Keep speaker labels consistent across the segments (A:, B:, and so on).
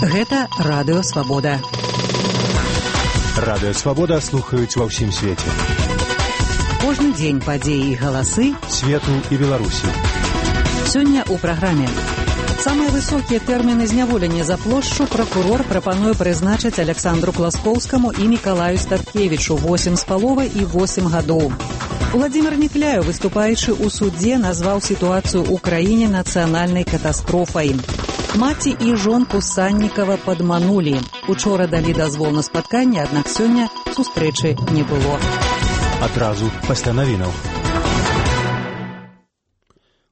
A: Гэта Радыё Свабода.
B: Радыё Свабода слухаюць ва ўсім свеце.
A: Кожны дзень падзеі і галасы
B: свету і Беларусі.
A: Сёння ў праграме. Самыя высокія тэрміны зняволення за плошчу пракурор прапануе прызначыць Александру Класкоўскаму і Мікалаю Статкевічу 8,5 і 8 гадоў. Владзімир Некляев, выступаючы ў судзе, назваў сітуацыю ў краіне нацыянальнай катастрофай. Маці і жонку Саннікава падманулі. Учора далі дазвол на спатканне, аднак сёння сустрэчы не было.
B: Адразу пасля навінаў.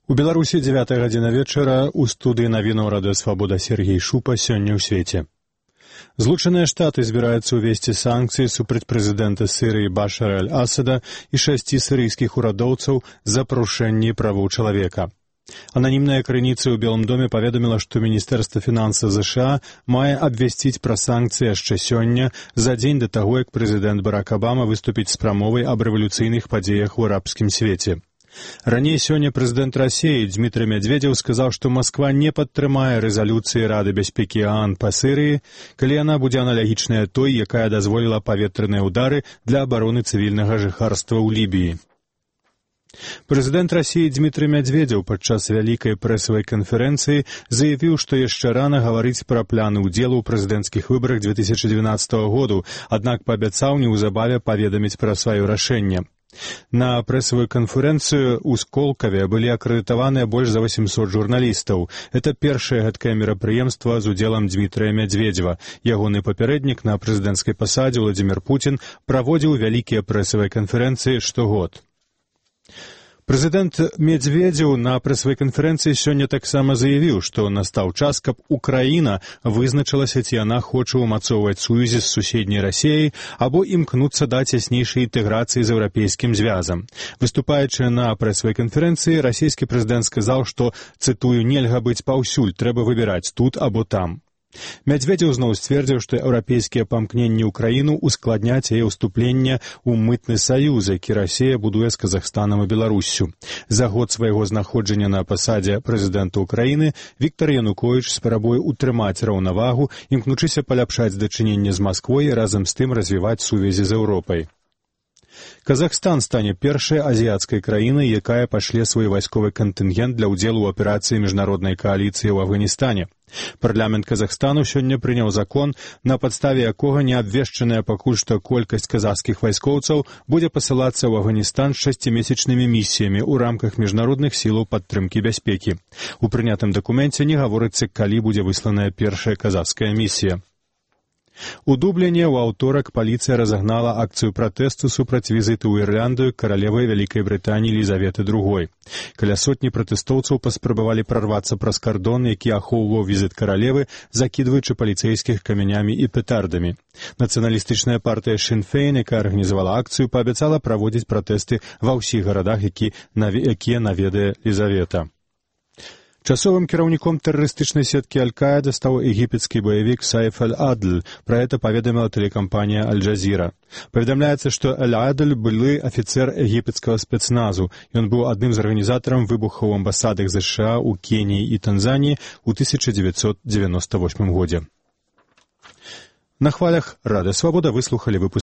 B: У Беларусі 9 гадзіна вечара, у студыі навінаў Радыё Свабода Сергей Шупа, сёння ў свеце. Злучаныя Штаты збіраюцца ўвесці санкцыі супраць прэзідэнта Сірыі Башара аль-Асада і 6 сірыйскіх урадоўцаў за парушэнне правоў чалавека. Ананімная крыніца ў Белым доме паведаміла, што Міністэрства фінансаў ЗША мае абвясціць пра санкцыі яшчэ сёння, за дзень да таго, як прэзідэнт Барак Абама выступіць з прамовай аб рэвалюцыйных падзеях у арабскім свеце. Раней сёння прэзідэнт Расіі Дмітрый Медведзеў сказаў, што Масква не падтрымае рэзалюцыі Рады бяспекі ААН па Сірыі, калі яна будзе аналагічная той, якая дазволіла паветраныя ўдары для абароны цывільнага жыхарства ў Лібіі. Прэзідэнт Расіі Дмітрый Медведзеў падчас вялікай прэсавай канферэнцыі заявіў, што яшчэ рана гаварыць пра планы ўдзелу ў прэзідэнцкіх выбарах 2012 году, аднак паабяцаў неўзабаве паведаміць пра сваё рашэнне. На прэсавую канферэнцыю ў Сколкаве былі акрэдытаваныя больш за 800 журналістаў. Это першае гэткае мерапрыемства з удзелам Дмітрыя Медведзева. Ягоны папярэднік на прэзідэнцкай пасадзе Владзімир Путін праводзіў вялікія прэсавыя канферэнцыі штогод. Прэзідэнт Медведзеў на прэсавай канферэнцыі сёння таксама заявіў, што настаў час, каб Украіна вызначылася, ці яна хоча ўмацоўваць сувязі з суседняй Расіяй або імкнуцца да цяснейшай інтэграцыі з еўрапейскім звязам. Выступаючы на прэсавай канферэнцыі, расійскі прэзідэнт сказаў, што, цытую, нельга быць паўсюль, трэба выбіраць тут або там. Медведзеў зноў сцвердзіў, што еўрапейскія памкненні ўкраіну ускладняць яе ўступленне ў мытны саюз, які Расія будуе з Казахстанам і Беларуссю. За год свайго знаходжання на пасадзе прэзідэнта Украіны Віктар Януковіч спрабуе ўтрымаць раўнавагу, імкнучыся паляпшаць дачыненне з Масквой і разам з тым развіваць сувязі з Еўропай. Казахстан стане першай азіяцкай краінай, якая пашле свой вайсковы кантынгент для ўдзелу ў аперацыі міжнароднай кааліцыі ў Афганістане. Парламент Казахстану сёння прыняў закон, на падставе якога неабвешчаная пакуль што колькасць казахскіх вайскоўцаў будзе пасылацца ў Афганістан з 6-месячнымі місіямі ў рамках міжнародных сілаў падтрымкі бяспекі. У прынятым дакуменце не гаворыцца, калі будзе высланая першая казахская місія. У Дубліне ў аўторак паліцыя разагнала акцыю пратэсту супраць візіту ў Ірландыю каралевы Вялікай Брытаніі Елізаветы II. Каля сотні пратэстоўцаў паспрабавалі прарвацца праз кардон, які ахоўваў візіт каралевы, закідваючы паліцэйскіх камянямі і петардамі. Нацыяналістычная партыя Шин Фейн, якая арганізавала акцыю, паабяцала праводзіць пратэсты ва ўсіх гарадах, якія наведае Елізавета. Часовым кіраўніком тэрарыстычнай сеткі Аль-Каіда стаў егіпецкі баявік Сайф аль-Адль. Пра гэта паведаміла тэлекампанія Аль-Джазіра. Паведамляецца, што Аль-Адль былы афіцэр егіпецкага спецназу. Ён быў адным з арганізатараў выбухаў у амбасадах ЗША ў Кеніі і Танзаніі ў 1998 годзе. На хвалях Радыё Свабода выслухалі выпуск